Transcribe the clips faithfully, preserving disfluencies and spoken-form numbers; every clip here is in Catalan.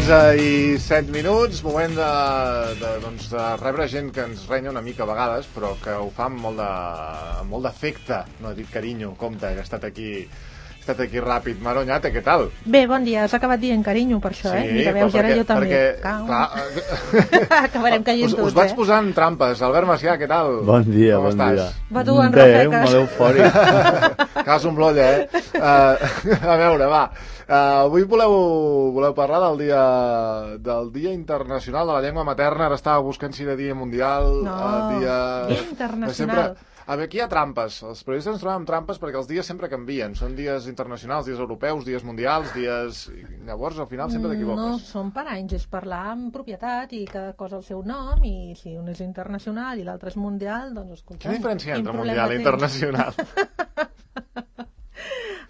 onze i set minuts, moment de, de, doncs, de rebre gent que ens renya una mica a vegades, però que ho fa amb molt de, amb molt d'afecte. No he dit carinyo, compte, que ha estat aquí... Ha estat aquí ràpid. Maronyate, què tal? Bé, bon dia. Has acabat dient carinyo per això, sí, eh? Mira, veus, ara jo també. Perquè, clar, acabarem caient tots, us, us vaig posant trampes. Albert Macià, què tal? Bon dia, Com bon estàs? dia. Va tu, en Rafeques. Bé, molt eufòric. Cas un blolla, eh? Uh, a veure, va. Uh, avui voleu, voleu parlar del dia, del dia internacional de la llengua materna. Ara estava buscant si era dia mundial. No, uh, dia... dia internacional. Sempre... A veure, aquí hi ha trampes. Els periodistes ens trobem amb trampes perquè els dies sempre canvien. Són dies internacionals, dies europeus, dies mundials, dies... Llavors, al final, sempre t'equivoques. No, són per anys. És parlar amb propietat i cada cosa al seu nom, i si un és internacional i l'altre és mundial, doncs escolta... Quina diferència entre mundial i internacional?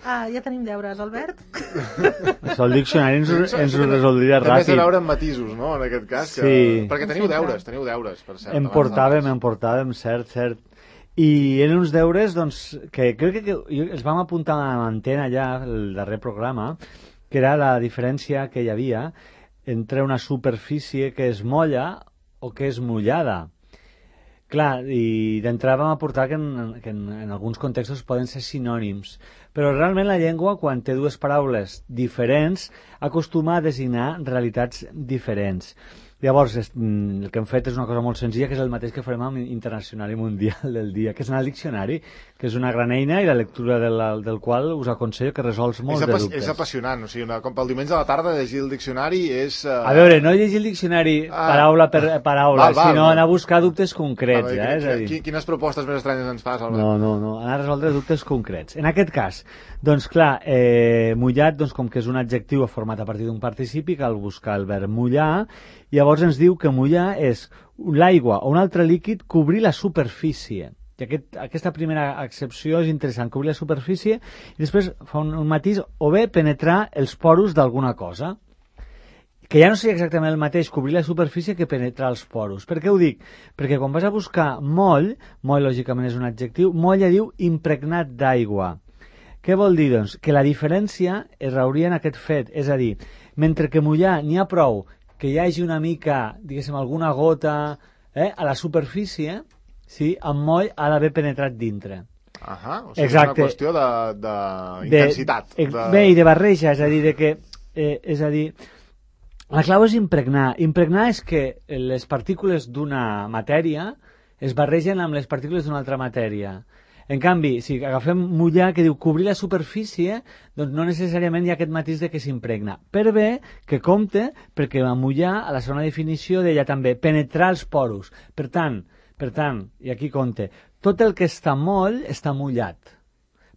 Ah, ja tenim deures, Albert. Això el diccionari ens, ens ho resoldria ràpid. També s'ha veure amb matisos, no?, en aquest cas. Que... Sí. Perquè teniu deures, teniu deures, per cert. Em portàvem, em portàvem, cert, cert. I eren uns deures, doncs, que crec que els vam apuntar a l'antena ja, el darrer programa, que era la diferència que hi havia entre una superfície que es molla o que és mullada. Clar, i d'entrada vam aportar que, en, que en, en alguns contextos poden ser sinònims, però realment la llengua, quan té dues paraules diferents, acostuma a designar realitats diferents. Llavors, el que hem fet és una cosa molt senzilla, que és el mateix que farem amb Internacional i Mundial del dia, que és anar al diccionari, que és una gran eina i la lectura del, del qual us aconsello, que resols molts de dubtes. És apassionant, o sigui, una, com pel diumenge a la tarda llegir el diccionari és... Uh... A veure, no llegir el diccionari ah. paraula per paraula, val, val, sinó val. anar a buscar dubtes concrets. Val, eh? És a dir... Quines propostes més estranyes ens fas, Albert? No, no, no, anar a resoldre dubtes concrets. En aquest cas, doncs clar, eh, mullat, doncs, com que és un adjectiu format a partir d'un participi, cal buscar el verb mullar, i llavors ens diu que mullar és l'aigua o un altre líquid cobrir la superfície. I aquest, aquesta primera accepció és interessant, cobrir la superfície, i després fa un, un matís, o bé penetrar els poros d'alguna cosa. Que ja no seria exactament el mateix cobrir la superfície que penetrar els poros. Per què ho dic? Perquè quan vas a buscar moll, moll lògicament és un adjectiu, moll ja diu impregnat d'aigua. Què vol dir, doncs? Que la diferència es rauria en aquest fet, és a dir, mentre que mullar n'hi ha prou que hi hagi una mica, diguéssim, alguna gota eh, a la superfície, sí, amb moll ha d'haver penetrat dintre. Ahà, o sigui, exacte. És una qüestió d'intensitat. De, de, de... Bé, i de barreja, és a dir, de que, eh, és a dir, la clau és impregnar. Impregnar és que les partícules d'una matèria es barregen amb les partícules d'una altra matèria. En canvi, si agafem mullar, que diu cobrir la superfície, doncs no necessàriament hi ha aquest matís de que s'impregna. Per bé que compte, perquè a mullar, a la segona definició, deia també penetrar els poros. Per tant, per tant, i aquí compte, tot el que està moll està mullat.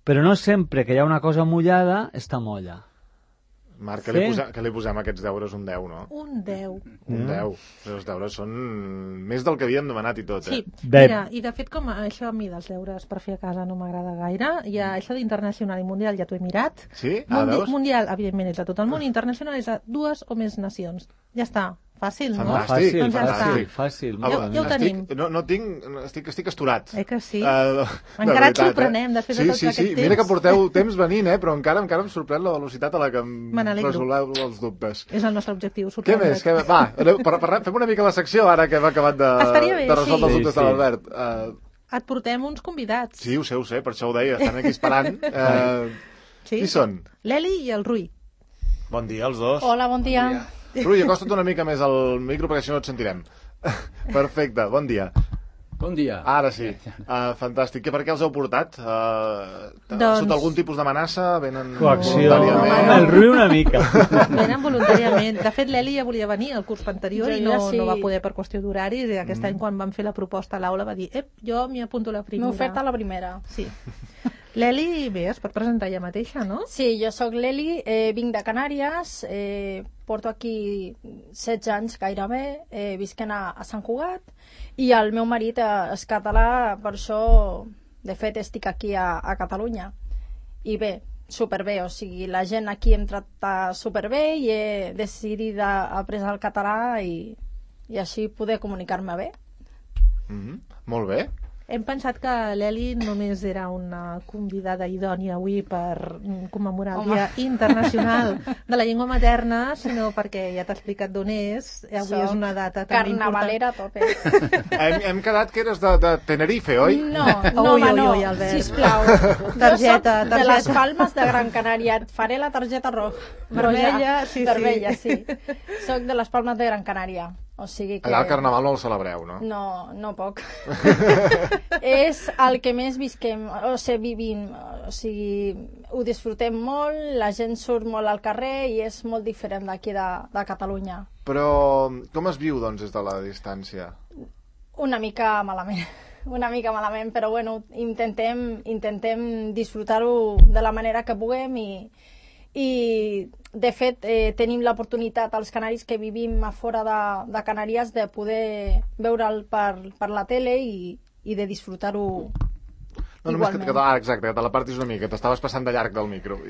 Però no sempre que hi ha una cosa mullada està molla. Marc, que, sí? li posem, que li posem a aquests deures un deu, no? Un deu. Un deu. Els deures són més del que havíem demanat i tot, eh? Sí, mira, i de fet, com això a mi dels deures per fer a casa no m'agrada gaire, ja això d'internacional i mundial ja t'ho he mirat. Sí? Ah, Mundi veus? Mundial, evidentment, és a tot el món, internacional és a dues o més nacions. Ja està. Fàcil, no? Fantàstic, doncs ja fantàstic. Fàcil. Ja, ja ho tenim. No, no tinc, estic, estic esturat. Eh que sí? Uh, encara et sorprenem, després sí, de tot sí, aquest sí. temps. Mira que porteu temps venint, eh? Però encara encara em sorprèn la velocitat a la que em resoleu els dubtes. És el nostre objectiu, Què més? Què... Va, per, per, fem una mica la secció ara que hem acabat de, bé, de resoldre sí. els dubtes sí, de l'Albert. Uh, Et portem uns convidats. sí, ho sé, ho sé, per això ho deia, estan aquí esperant. Uh, sí? Qui són? L'Eli i el Rui. Bon dia, els dos. Hola, bon dia. Bon dia. Rui, acosta't una mica més al micro perquè si no et sentirem. Perfecte, bon dia. Bon dia. Ara sí, uh, fantàstic. Per què els heu portat? Uh, doncs... Sota algun tipus d'amenaça? Venen coacció. voluntàriament? Home, el Rui una mica. Venen voluntàriament. De fet, l'Eli ja volia venir el curs anterior Jo i no, ja sí. no va poder per qüestió d'horaris, i aquest mm. any quan van fer la proposta a l'aula va dir ep, jo m'hi apunto la primera. M'he oferta la primera. Sí. L'Eli, bé, es pot presentar ella mateixa, no? Sí, jo sóc l'Eli, eh, vinc de Canàries, eh, porto aquí setze anys gairebé, eh, visquent a, a Sant Cugat, i el meu marit eh, és català, per això, de fet, estic aquí a, a Catalunya. I bé, superbé, o sigui, la gent aquí em tracta superbé i he decidit aprendre el català i, i així poder comunicar-me bé. Mm-hmm. Molt bé. Hem pensat que l'Eli només era una convidada idònia avui per commemorar el Home. Dia Internacional de la Llengua Materna, sinó perquè ja t'ha explicat d'on és, avui Soc és una data també carnavalera a tope. Hem, hem quedat que eres de, de Tenerife, oi? No, no, Ui, home, ui, no, ui, Albert. sisplau. Targeta, Jo soc de targeta. les Palmes de Gran Canària. Et faré la targeta roja. Vermella, sí, sí. Vermella, sí. Soc de les Palmes de Gran Canària. O sigui que... Allà el carnaval no el celebreu, no? No, no poc. És el que més visquem, o sigui, vivim. O sigui, ho disfrutem molt, la gent surt molt al carrer i és molt diferent d'aquí de, de Catalunya. Però com es viu, doncs, des de la distància? Una mica malament. Una mica malament, però bueno, intentem, intentem disfrutar-ho de la manera que puguem i, i de fet eh, tenim l'oportunitat als canaris que vivim a fora de, de Canàries de poder veure'l per, per la tele i, i de disfrutar-ho No, només que, que, ah, exacte, que te l'apartis una mica, t'estaves passant de llarg del micro.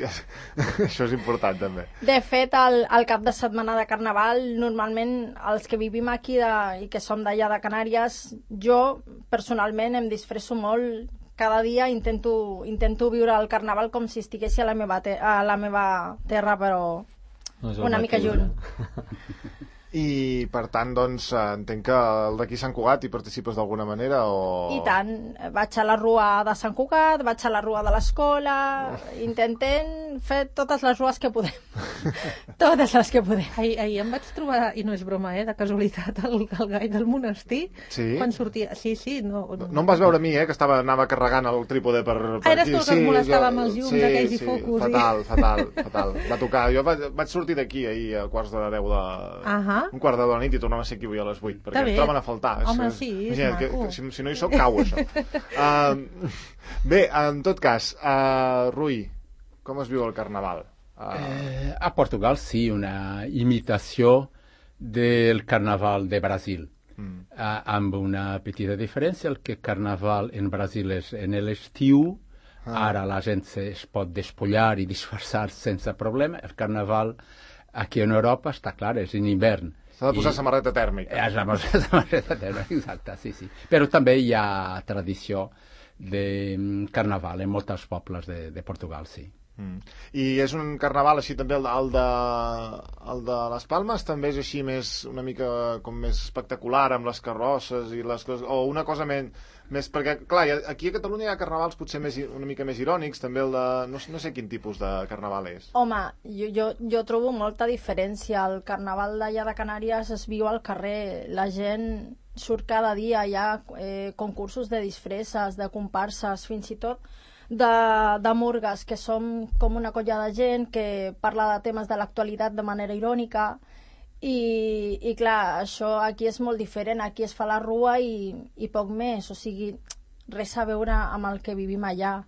Això és important, també. De fet, al, al cap de setmana de Carnaval, normalment els que vivim aquí de, i que som d'allà de Canàries, jo personalment em disfresso molt. Cada dia intento, intento viure el Carnaval com si estiguessi a la meva, te a la meva terra, però No és el una mica mateix, lluny. no? I, per tant, doncs, entenc que el d'aquí Sant Cugat hi participes d'alguna manera, o... I tant, vaig a la rua de Sant Cugat, vaig a la rua de l'escola, intentem fer totes les rues que podem. Totes les que podem. Ahir, ahir em vaig trobar, i no és broma, eh, de casualitat, el, el gai del monestir. Sí? Quan sortia... Sí, sí, no... No, no em vas veure a mi, eh, que estava, anava carregant el trípode per, per Ah, eres aquí. tu el que es molestava amb els llums sí, aquells i sí, focus, i- fatal, fatal, fatal. Va tocar. Jo vaig, vaig sortir d'aquí ahir a quarts de deu de... Ahà. Un quart de deu de la nit i tornava a ser aquí avui a les vuit, perquè Està bé. em troben a faltar. Home, És- sí, és imagina't que, maco. que, si, si no hi soc, cau, això. Uh, bé, en tot cas, uh, Rui, com es viu el Carnaval? Uh, Eh, a Portugal sí, una imitació del Carnaval de Brasil. mm. Ah, amb una petita diferència, el que Carnaval en Brasil és en l'estiu, Ah. ara la gent se, es pot despullar i disfressar sense problema. El Carnaval aquí en Europa, està clar, és en hivern. S'ha de posar I- samarreta tèrmica. Eh, la samarreta tèrmica, exacte, sí, sí. Però també hi ha tradició de mm, Carnaval en molts pobles de, de Portugal, sí. Mm. I és un carnaval així també el de, el de, el de les Palmes també és així més, una mica com més espectacular amb les carrosses i les coses, o una cosa més, més perquè clar, hi ha- aquí a Catalunya hi ha carnavals potser més, i- una mica més irònics, també el de, no, sé- no sé quin tipus de carnaval és. Home, jo, jo, jo trobo molta diferència. El Carnaval d'allà de Canàries es viu al carrer. La gent surt cada dia, hi ha eh, concursos de disfresses, de comparses, fins i tot de, de murgues, que som com una colla de gent que parla de temes de l'actualitat de manera irònica i, i clar, això aquí és molt diferent, aquí es fa la rua i, i poc més, o sigui, res a veure amb el que vivim allà.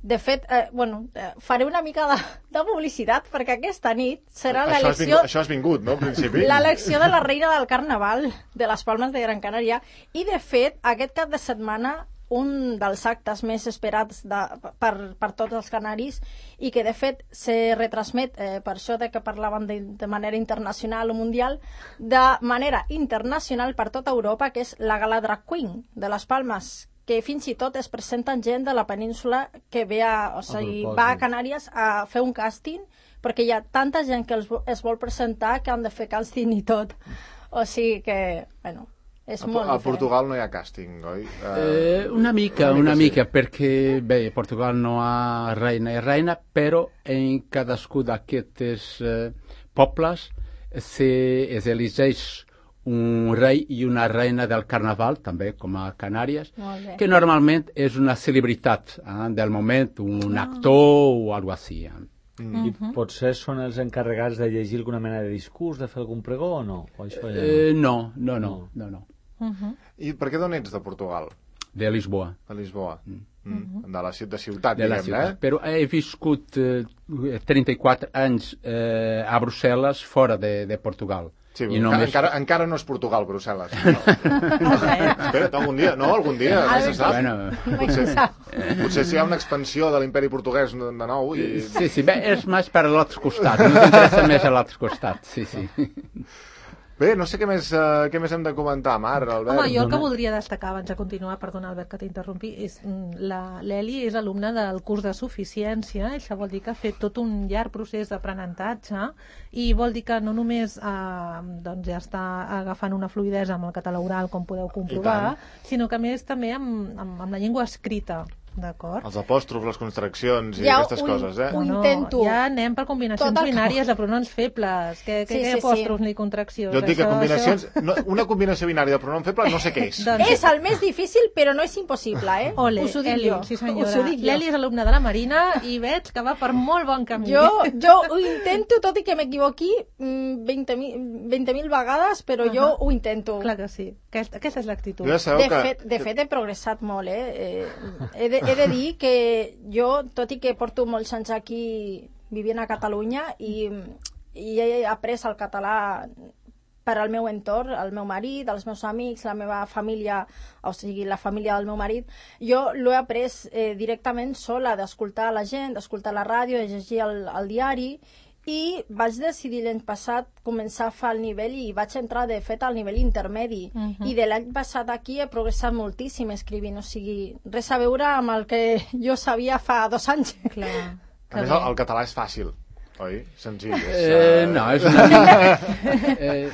De fet, eh, bueno, eh, faré una mica de, de publicitat perquè aquesta nit serà Això has, l'elecció vingut, això has vingut, no, al principi? l'elecció de la reina del Carnaval de les Palmes de Gran Canària i de fet aquest cap de setmana un dels actes més esperats de, per, per tots els canaris i que de fet se retransmet eh, per això de que parlaven de, de manera internacional o mundial, de manera internacional per tota Europa, que és la Gala Drag Queen de les Palmes, que fins i tot es presenten gent de la península que ve a, o sigui, propòsit. va a Canàries a fer un càsting perquè hi ha tanta gent que els, vo- es vol presentar que han de fer càsting i tot. O sigui que, bueno, és A, molt a diferent. Portugal no hi ha càsting, oi? Uh, Eh, una mica, una una mica, mica, perquè bé, Portugal no ha reina i reina, però en cadascú d'aquests eh, pobles se, es elegeix un rei i una reina del Carnaval, també com a Canàries, Molt bé. que normalment és una celebritat eh, del moment, un actor o algo així. Eh. I potser són els encarregats de llegir alguna mena de discurs, de fer algun pregó o no? O això ja Eh, no? no, no, no, no, no. I per què d'on ets de Portugal? De Lisboa. De Lisboa. Mm. De la ci- de ciutat, De la diguem-ne, ciutat. eh? Però he viscut eh, trenta-quatre anys eh, a Brussel·les fora de, de Portugal. Sí, I encara, només- encara, encara no és Portugal, Brussel·les. No. Espera't, algun dia, no, algun dia, no se sap. Bueno, Potser, potser si hi ha una expansió de l'imperi portuguès de nou i... sí, sí, bé, és més per l'altre costat, no t'interessa més a l'altre costat, sí, sí. Bé, no sé què més, uh, què més hem de comentar, Mar, Albert. Home, jo el que voldria destacar abans de continuar, perdona Albert que t'interrompi, és l'Eli és alumne del curs de suficiència, això vol dir que ha fet tot un llarg procés d'aprenentatge i vol dir que no només eh, doncs ja està agafant una fluïdesa amb el català oral, com podeu comprovar, sinó que a més també amb, amb, amb la llengua escrita. D'acord. Els apòstrofs, les contraccions i ja aquestes ho, coses, eh? Ho no, intento. ja anem per combinacions binàries de pronoms febles. Que, que, Sí, que sí, apòstrofs sí. ni contraccions. Jo et dic que Això- combinacions... això- No, una combinació binària de pronom feble no sé què és. Doncs- És el més difícil, però no és impossible, eh? Ole, Us ho dic Eli, jo. sí Us ho senyora. dic jo. L'Eli és alumne de la Marina i veig que va per molt bon camí. Jo, jo ho intento, tot i que m'equivoqui mm, vint mil vegades, però jo ho intento. Clar que sí. Aquesta, aquesta és l'actitud. Jo ja sabeu De que... fet, de fet, he progressat molt, eh? eh he, de, he de dir que jo, tot i que porto molts anys aquí vivint a Catalunya i, i he après el català per al meu entorn, el meu marit, els meus amics, la meva família, o sigui, la família del meu marit, jo l'he après eh, directament sola, d'escoltar la gent, d'escoltar la ràdio, de llegir el, el diari, i vaig decidir l'any passat començar a fer el nivell i vaig entrar de fet al nivell intermedi uh -huh. i de l'any passat aquí he progressat moltíssim escrivint, o sigui, res a veure amb el que jo sabia fa dos anys. Clar. A més, el, el català és fàcil, oi? Senzill. És, Eh, uh... no, és una mica, eh,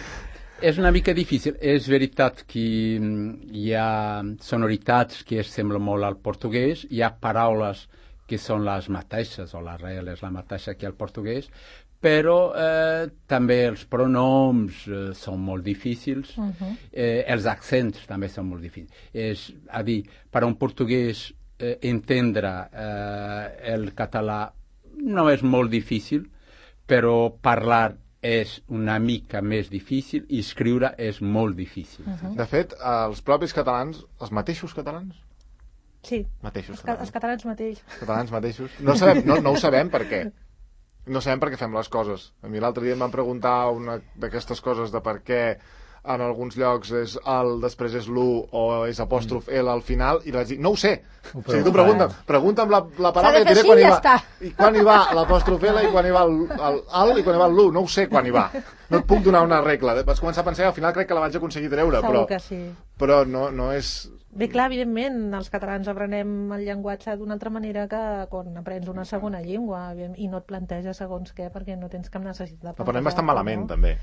és una mica difícil. És veritat que mm, hi ha sonoritats que es semblen molt al portuguès, hi ha paraules que són les mateixes, o l'arrel és la mateixa que el portuguès, però eh, també els pronoms eh, són molt difícils, uh -huh. eh, els accents també són molt difícils. És a dir, per a un portuguès eh, entendre eh, el català no és molt difícil, però parlar és una mica més difícil i escriure és molt difícil. Uh -huh. De fet, els propis catalans, els mateixos catalans, Sí, mateixos els, ca- els catalans, catalans mateix. catalans mateixos, no, sabem, no, no ho sabem per què. No sabem per què fem les coses. A mi l'altre dia em van preguntar una d'aquestes coses de per què en alguns llocs és el, després és l'u o és apòstrof L al final, i vaig dir, no ho sé. Ho O sigui, tu pregunta'm, pregunta'm la, la paraula i S'ha de et diré fer quan hi així i va. ja està. I quan hi va l'apòstrof L i quan hi va el, el, el i quan hi va l'u. No ho sé quan hi va. No et puc donar una regla. Vaig començar a pensar i al final crec que la vaig aconseguir treure, Segur però, que sí. però no, no és... Bé, clar, evidentment, els catalans aprenem el llenguatge d'una altra manera que quan aprens una segona llengua i no et planteges segons què perquè no tens cap necessitat de L'aprenem bastant malament, no? també,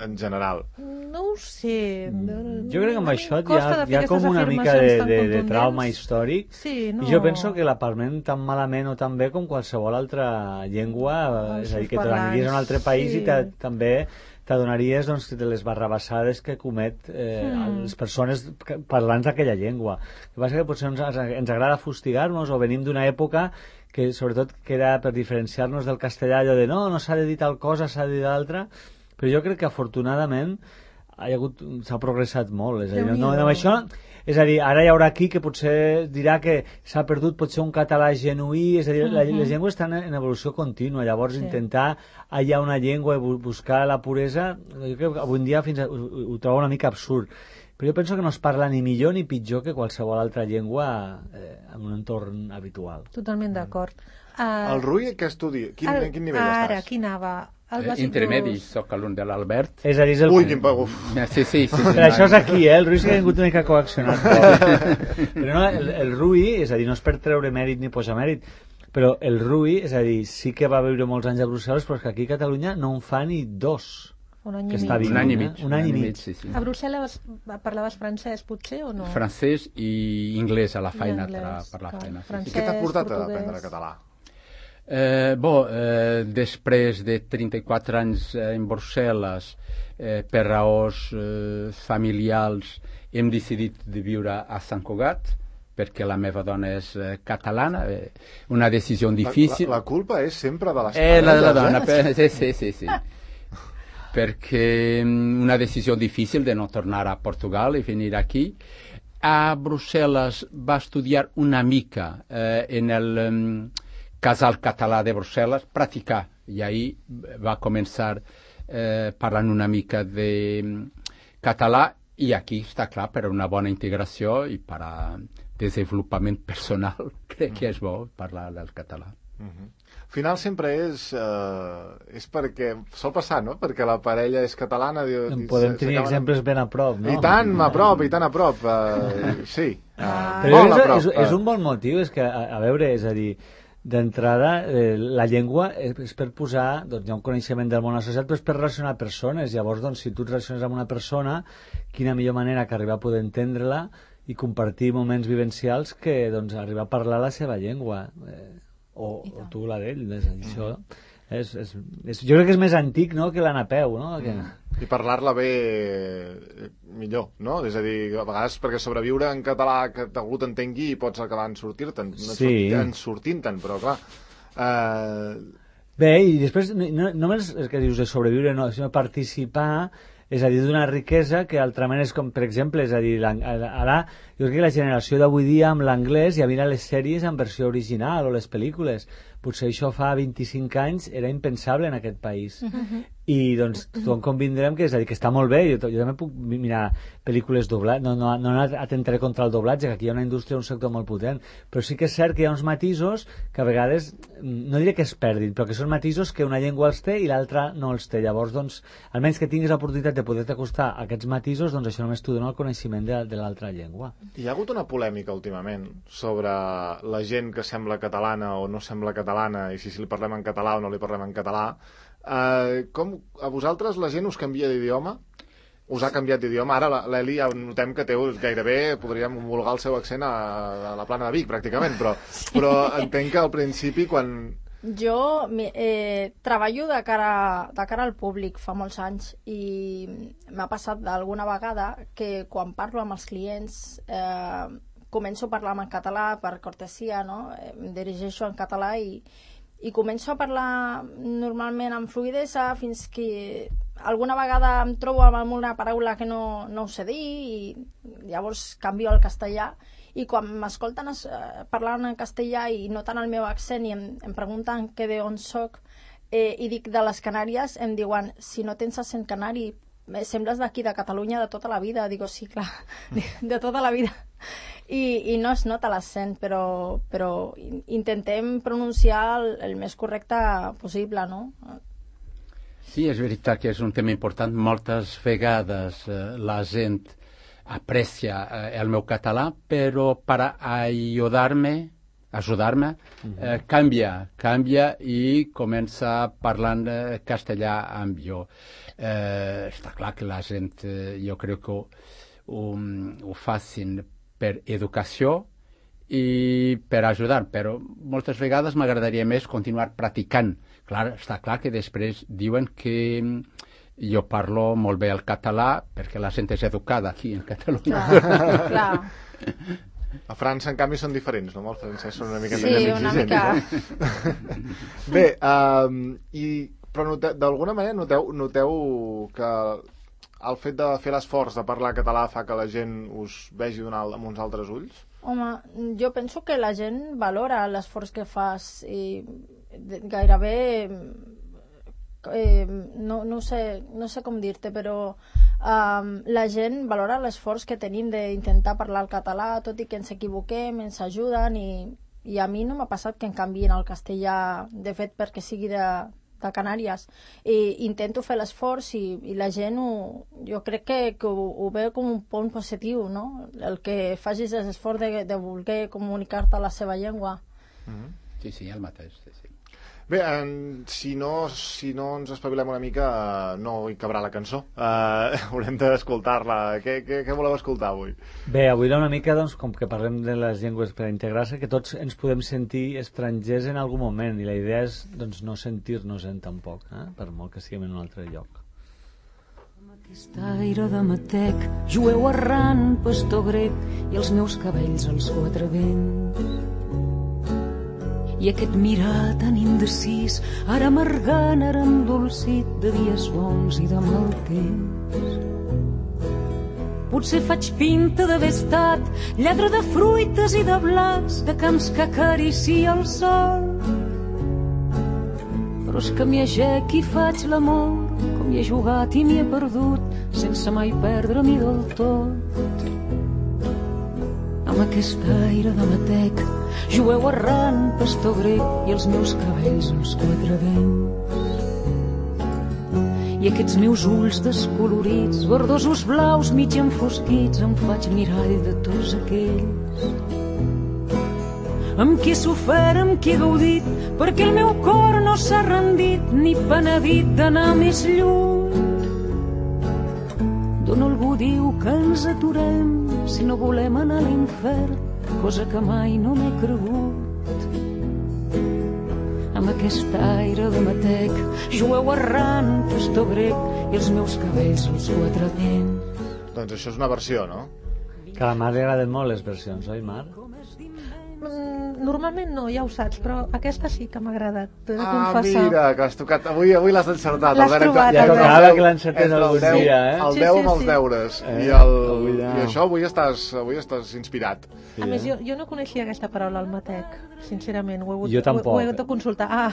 en general. No ho sé. Jo crec que amb això hi Costa ha, de hi ha fer com aquestes una mica de, afirmacions tan de, de contundents. trauma històric. Sí, no. I jo penso que l'aparment tan malament o tan bé com qualsevol altra llengua, Els és a dir, seus que te l'aniries a un altre parlants, país sí. i te, també t'adonaries doncs, de les barrabassades que comet eh, Mm. les persones que- parlants d'aquella llengua. El que passa que potser ens, ens agrada fustigar-nos o venim d'una època que sobretot que era per diferenciar-nos del castellà, allò de no, no s'ha de dir tal cosa, s'ha de dir d'altra, però jo crec que afortunadament ha hagut, s'ha progressat molt, és a dir, no, no, amb això, és a dir, ara hi haurà aquí que potser dirà que s'ha perdut potser un català genuí, és a dir, la, les llengües estan en evolució contínua, llavors Sí. intentar hallar una llengua i bu- buscar la puresa, jo crec que avui en dia fins a, ho, ho trobo una mica absurd, però jo penso que no es parla ni millor ni pitjor que qualsevol altra llengua eh, en un entorn habitual. Totalment d'acord. Uh, El Rui, què estudia? Quin, en quin nivell ara, estàs? aquí anava. El Eh, bàsic intermedi, dos. sóc alumne de l'Albert. És a dir, és el... Ui, quin paguf. Eh, Sí, sí, sí. sí Però això és aquí, eh? El Rui sí que ha vingut una mica coaccionat. Però, però no, el, el Rui, és a dir, no és per treure mèrit ni posar mèrit, però el Rui, és a dir, sí que va viure molts anys a Brussel·les, però és que aquí a Catalunya no en fa ni dos. Un any que i està mig. vivint, Un any i eh? mig. Un any i mig. sí, sí. A Brussel·les parlaves francès, potser, o no? Francès i anglès a la feina, anglès, tra- per la clar. feina. Sí, sí. I Francès, què t'ha portat a portuguès. aprendre català? Eh, bo, eh, després de trenta-quatre anys eh, en Brussel·les, eh, per raons eh, familiars, hem decidit de viure a Sant Cugat, perquè la meva dona és eh, catalana, eh, una decisió difícil. La, la, la culpa és sempre de les Eh, la de la parelles, dona, eh? per- sì, sì, sì, sì. Perché mm, una decisione difficile di non tornare a Portogallo e venire aquí. A Brussel·les va estudiar una mica eh, en el um, Casal Català de Brussel·les, practicar, i ahí va començar eh, parlant una mica de um, català, i aquí està clar, per a una bona integració i per a desenvolupament personal, crec que és bo parlar del català. Uh-huh. Al final sempre és eh, és perquè, sol passar, no? Perquè la parella és catalana. Diu, en podem tenir exemples ben a prop, no? I tant a prop, i tant a prop. Uh, sí. Uh, Però és, prop, és, és un bon motiu, és que, a, a veure, és a dir, d'entrada, eh, la llengua és per posar, doncs hi ha un coneixement del món associat, però és per relacionar persones. Llavors, doncs, si tu et relaciones amb una persona, quina millor manera que arribar a poder entendre-la i compartir moments vivencials que, doncs, arribar a parlar la seva llengua. Eh, o, o tu la d'ell, és a dir, això és, és, és, jo crec que és més antic, no?, que la Napeu, no? Que... I parlar-la bé millor, no? És a dir, a vegades perquè sobreviure en català que algú t'entengui i pots acabar en sortir-te'n, no sí. en sortint-te'n, però clar... Eh... Bé, i després no, no només és que dius de sobreviure, no, sinó participar, és a dir, d'una riquesa que altrament és com, per exemple, és a dir, ara jo crec que la generació d'avui dia amb l'anglès ja mira les sèries en versió original o les pel·lícules. Potser això fa vint-i-cinc anys era impensable en aquest país. Uh-huh. I doncs tothom convindrem que és a dir, que està molt bé. Jo, jo també puc mirar pel·lícules doblades, no, no, no atentaré contra el doblatge, que aquí hi ha una indústria, un sector molt potent, però sí que és cert que hi ha uns matisos que a vegades, no diré que es perdin, però que són matisos que una llengua els té i l'altra no els té. Llavors, doncs, almenys que tinguis l'oportunitat de poder-te acostar a aquests matisos, doncs això només t'ho dona el coneixement de, de l'altra llengua. Hi ha hagut una polèmica últimament sobre la gent que sembla catalana o no sembla catalana i si, si li parlem en català o no li parlem en català. Uh, com a vosaltres la gent us canvia d'idioma? Us ha canviat d'idioma? Ara l'Eli ja notem que té gairebé, podríem homologar el seu accent a, a la Plana de Vic, pràcticament, però, sí. però entenc que al principi quan... Jo eh, treballo de cara, de cara al públic fa molts anys i m'ha passat d'alguna vegada que quan parlo amb els clients eh, començo a parlar en català per cortesia, no? Em dirigeixo en català i, i començo a parlar normalment amb fluïdesa fins que alguna vegada em trobo amb una paraula que no, no ho sé dir i llavors canvio al castellà. I quan m'escolten eh, parlant en castellà i noten el meu accent i em, em pregunten que d'on soc eh, i dic de les Canàries, em diuen, si no tens accent canari, eh, sembles d'aquí, de Catalunya, de tota la vida. Digo, sí, clar, de, de tota la vida. I, i no es nota l'accent, però, però intentem pronunciar el, el més correcte possible, no? Sí, és veritat que és un tema important. Moltes vegades eh, la gent aprecia eh, el meu català, però per ajudar-me, ajudar-me, eh, canvia, canvia i comença parlant eh, castellà amb jo. Eh, està clar que la gent, eh, jo crec que ho, ho, ho facin per educació i per ajudar, però moltes vegades m'agradaria més continuar practicant. Clar, està clar que després diuen que jo parlo molt bé el català perquè la gent és educada aquí en Catalunya. Clar, clar. A França, en canvi, són diferents, no? Els francesos són una mica sí, més una exigents. Mica... Bé, um, i, però d'alguna manera noteu, noteu que el fet de fer l'esforç de parlar català fa que la gent us vegi amb uns altres ulls? Home, jo penso que la gent valora l'esforç que fas i gairebé... Eh, no, no, sé, no sé com dir-te, però um, la gent valora l'esforç que tenim d'intentar parlar el català, tot i que ens equivoquem, ens ajuden i, i a mi no m'ha passat que em canviïn el castellà, de fet, perquè sigui de, de Canàries. I intento fer l'esforç i, i la gent ho, jo crec que, que ho, ho veu com un punt positiu, no? El que facis l'esforç de, de voler comunicar-te a la seva llengua. Mm-hmm. Sí, sí, el mateix, sí, sí. Bé, en, si, no, si no ens espavilem una mica, uh, no hi cabrà la cançó. Uh, haurem d'escoltar-la. Què, què, què voleu escoltar avui? Bé, avui una mica, doncs, com que parlem de les llengües per integrar-se, que tots ens podem sentir estrangers en algun moment, i la idea és doncs, no sentir-nos-en tampoc, eh? Per molt que siguem en un altre lloc. Amb aquest aire de matec, jueu errant, pastor grec, i els meus cabells als quatre vents. I aquest mirar tan indecis, ara amargant, ara endolcit, de dies bons i de mal temps. Potser faig pinta d'haver estat lladre de fruites i de blats, de camps que acaricia el sol. Però és que m'hi agec i faig l'amor, com hi he jugat i m'hi he perdut, sense mai perdre-m'hi del tot. Amb aquest aire de matec, jueu errant, pastor grec, i els meus cabells als quatre vents. I aquests meus ulls descolorits, verdosos blaus mig enfosquits, em faig mirall de tots aquells amb qui he sofert, amb qui he gaudit, perquè el meu cor no s'ha rendit ni penedit d'anar més lluny. D'on algú diu que ens aturem si no volem anar a l'infern, cosa que mai no m'he cregut. Amb aquest aire de matec, jueu errant, pastor grec, i els meus cabells als quatre vents. Doncs això és una versió, no? Que a la Mar li agraden molt les versions, oi, Mar? Mm, normalment no, ja ho saps, però aquesta sí que m'ha agradat, t'he de Ah, confessar. mira, que has tocat. Avui, avui l'has encertat. L'has Albert, trobat, entre- Ja Albert. tocava que l'encertés entre el algun deu- dia, eh? El Sí, deu sí, amb els sí. deures. Eh? I, el, Cuidao. I això avui estàs, avui estàs inspirat. A més, jo, jo no coneixia aquesta paraula, el matec, sincerament. Ho he hagut, Jo tampoc. Ho, ho he hagut de consultar. Ah,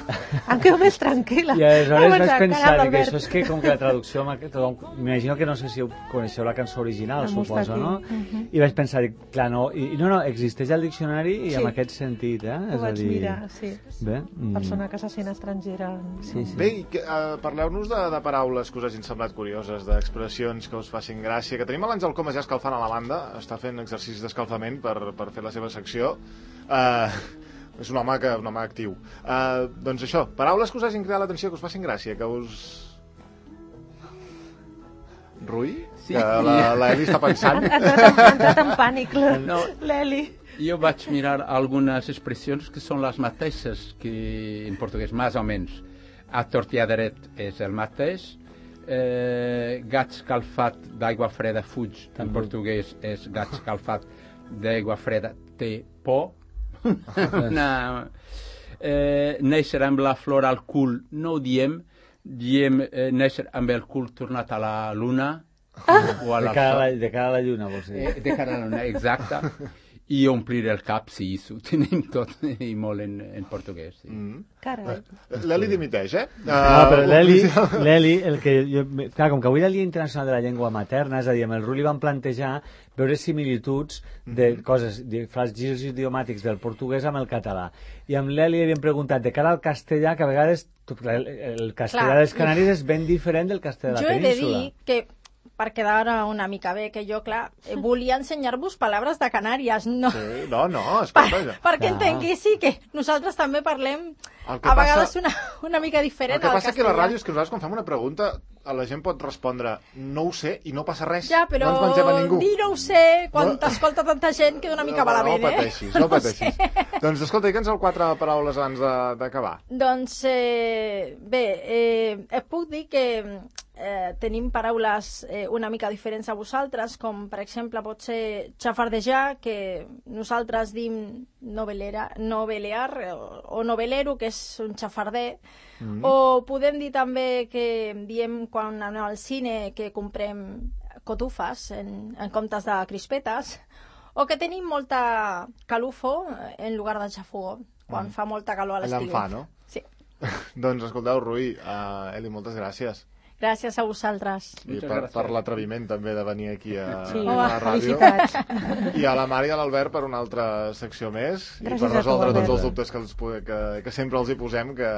em quedo més tranquil·la. I aleshores Vaig vaig pensar, pensar cagat, que Albert. això és que com que la traducció amb aquest- m'imagino que no sé si coneixeu la cançó original, La suposo, Mustaki. no? Mhm. I vaig pensar, dic, clar, no, i, i no, no, existeix al diccionari i Sí. amb aquest sentit, eh? Ho vaig mirar, sí. Bé, mm. Persona que se sent estrangera. Sí, sí. Bé, i que, uh, parleu-nos de, de paraules que us hagin semblat curioses, d'expressions que us facin gràcia, que tenim a l'Àngel Comas ja escalfant a la banda, està fent exercicis d'escalfament per, per fer la seva secció. Uh, és un home, que, un home actiu. Uh, doncs això, paraules que us hagin creat l'atenció, que us facin gràcia, que us... Rui? Sí. Que la, la Eli està pensant. Ha entrat, ha entrat en pànic, la- No. l'Eli. Jo vaig mirar algunes expressions que són les mateixes que en portuguès, més o menys. A tortilla dret és el mateix. Eh, gat escalfat d'aigua freda fuig, en portuguès és gat escalfat d'aigua freda té por. no. eh, néixer amb la flor al cul no ho diem, diem eh, néixer amb el cul tornat a la luna o a De la cara a la, sol. de cara a la lluna, vols dir? Eh, de cara a la luna, exacte. I omplir el cap, sí, ho tenim tot i molt en, en portuguès. Sí. Mm. Carai. L'Eli dimiteix, eh? No, però Uh, l'Eli, oficial- l'Eli, el que jo, clar, com que avui era el Dia Internacional de la Llengua Materna, és a dir, amb el Ruli van plantejar veure similituds de coses, de frases idiomàtics del portuguès amb el català. I amb l'Eli havíem preguntat, de cara al castellà, que a vegades el, el castellà Clar. dels Canaris és ben diferent del castellà de Jo la he de península. dir que, per quedar una mica bé, que jo, clar, eh, volia ensenyar-vos paraules de Canàries, no, Sí, no, no, per, escolta, ja. perquè Clar. entenguessi que nosaltres també parlem El que a vegades passa- una, una mica diferent El que al passa que a la castellà. ràdio és que nosaltres quan fem una pregunta a la gent pot respondre no ho sé i no passa res. Ja, però no ens mengem a ningú. dir no ho sé, quan No. t'escolta tanta gent, queda una mica no, malament, no eh? pateixis, no pateixis. Doncs escolta, digue'ns el quatre paraules abans de- d'acabar. Doncs, eh, bé, eh, et puc dir que eh, tenim paraules eh, una mica diferents a vosaltres, com per exemple pot ser xafardejar, que nosaltres dim novelera, novelear o, o novelero, que és un xafarder, mm. o podem dir també que diem quan anem al cine que comprem cotufes en, en comptes de crispetes, o que tenim molta calufo en lugar de xafogó, quan mm. fa molta calor a Allà en l'estiu. fa, no? Sí. Doncs escolteu, Rui, uh, Eli, moltes gràcies. Gràcies a vosaltres. I Moltes per, gràcies. per l'atreviment també de venir aquí a, Sí, a la ràdio. felicitats. I a la Mari i a l'Albert per una altra secció més i Gràcies per a tu, resoldre tots Albert. els dubtes que, els, pu- que, que sempre els hi posem que,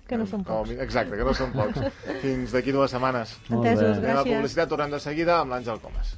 Que no són com a pocs. mi- exacte, que no són pocs. Fins d'aquí dues setmanes. Molt bé. Entesos, Anem a gràcies. publicitat, tornem de seguida amb l'Àngel Comas.